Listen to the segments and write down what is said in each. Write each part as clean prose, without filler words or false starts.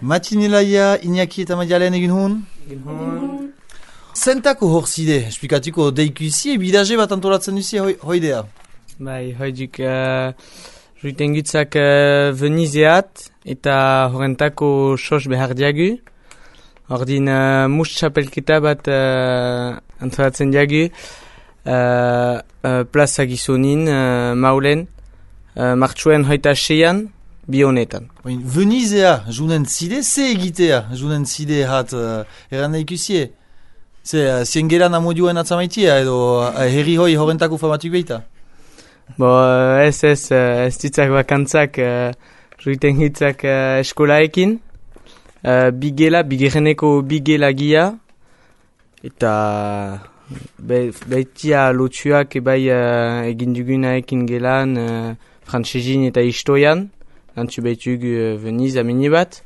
Matinilaia, Iñaki eta Maialen egin hon? Zentako hor zide, esplikatuko deikusi, bidaje bat antolatzen duzi hoidea? Bai, hoidik juiten gutzak Venizeat eta horrentako sos behar diagu. Ordin mus txapelketa bat antolatzen diagu plaza gizonin maulen martxuen hoita seian bi honetan. Venizea, junen zide, ze egitea junen zide hat eran deikusie? Zien geran amodioen atzamaitia edo herri hoi horrentako famatuk behita? Bo, ez ditzak bakantzak juiten hitzak eskolaekin. Bigereneko bigela gia. Eta baitia lotuak ebai egin dugunaekin gelan frantsezin eta istoian. Lantzu baitugu Veniz amini bat.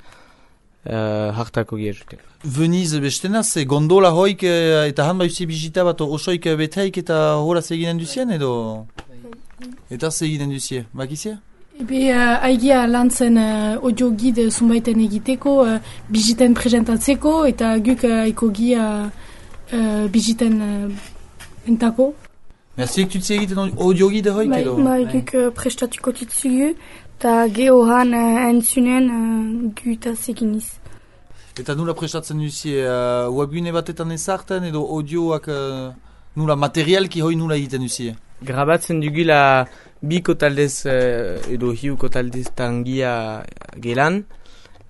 Hartako gira juten. Veniz bestena, ze gondola hoik eta han baiuzi bizita bat osoik beteik eta horaz eginen duzien edo? Eta ze eginen duzie, bakizie? Haigia lantzen audio guide zunbaiten egiteko, biziten presentatzeko eta guk aiko gia biziten entako. Merziek tutzi egiten audio guide hoik edo? Guk prestatuko tutzugu eta gehohan entzunen gutaz eginiz. Eta nula prestatzen duzie webgune batetan ezarten edo audioak nula materialki hoi nula egiten duzie? Grabatzen dugula biko taldez edo hiuko taldez tangia gelan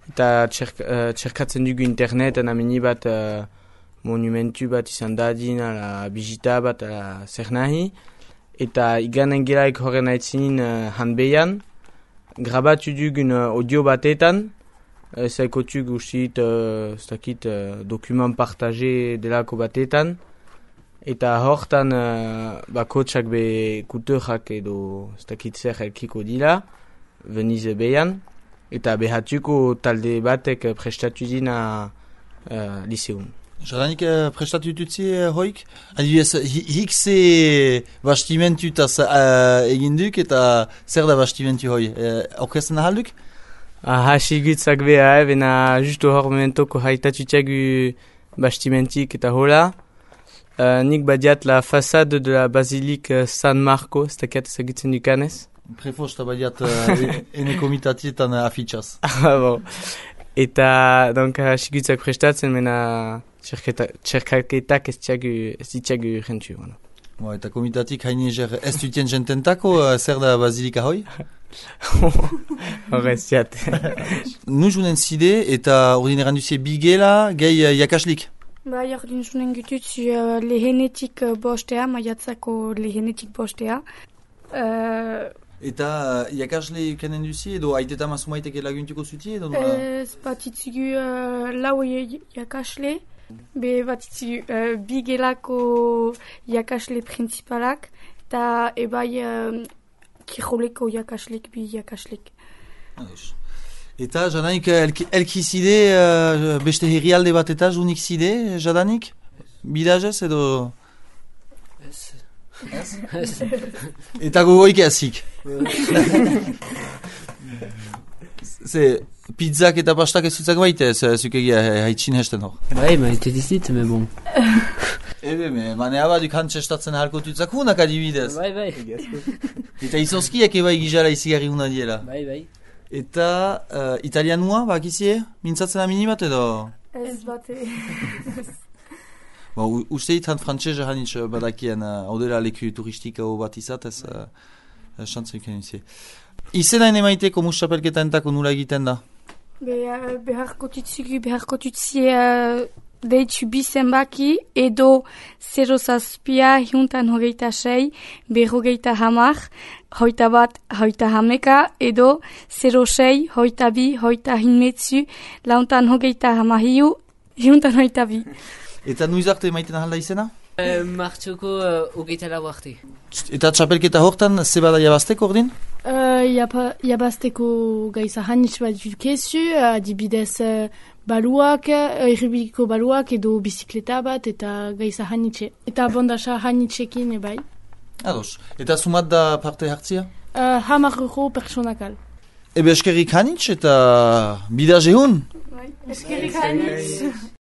eta txerkatzen dugu interneten amini bat monumentu bat izan dadin ala bizita bat ala zer nahi eta iganen gelaik horren aitzinin hanbeian grabatu dugun audio batetan zaikotu guztit dokumen partaje delako batetan eta hortan bakotsak be kuturak edo ez dakit zer elkiko dila Venize behan eta behatuko talde batek prestatu dina liseun. Jadanik prestatu dutzi hoik? Adibidez, hik ze bastimentutaz eginduk eta zer da bastimentu hoi? Orkesten ahalduk? Hasi gutzak beha, bena justu hor momentoko haitatutxagu bastimentik eta hola. Nik badiat la façade de la basilique San Marco, ez dakiat ezagutzen dukanez. Prefosta badiat ene komitatietan afitxaz. Bon. Eta, donc, hasi gutzak prestatzen, mena txerkaketak ez ditxagu jentu. Eta komitatik haine ez dutien jententako, zer da basilika hoi? Horrez jat. Nu junen zide eta ordineran duzie bigela gehi jakaslik? Ordin junen gutut lehenetik bostea, maiatzako lehenetik bostea. Eta jakasle kenen duzie edo aiteta masumaitek laguntuko zuti edo? Ez batitzugu lau jakasle. Batitzugu bigelako jakasle principalak eta ebai kiroleko jakaslek, bi jakaslek. Eta jadanik elkizide beste herrialde bat eta junik zide jadanik? Bidazez edo? Ez. Eta gogoik ezik? Ze pizzak eta pastak ez zutzak baite, zukegia haitxin hesten hor. Bai, maite dizit, me bon. Mane abaduk hantzestatzen halko tutzak hunak adibidez. Bai. Eta izozkiak ebai gizara izigarri huna diela. Bai. Eta italianua, bakizie, mintzatzen amini bat edo? Ez bate. Usteit han frantzese hanitz badakien odela leku turistika bat izatez, xantzu ikan izi. Izena emaiteko muschapelketa entako nula egiten da? Beharko tutzie deitu bizen baki edo 0-6-126 berrogeita 10 edo 06-22 125 122. Eta nuiz arte emaiten ahalda izena? Martxoko hogeita lau arte. Eta txapelketa hortan ze bada jabazteko ordin? Jabazteko gaiza hanitz bat dukezu, adibidez baluak, erribiko baluak edo bizikleta bat eta gaiza hanitze. Eta bondasa hanitzekin ebai. Ados. Eta sumat da parte hartzia? 10 euro personakal. Ebe eskerrik hanitz eta bida jehun? Eskerrik hainitz.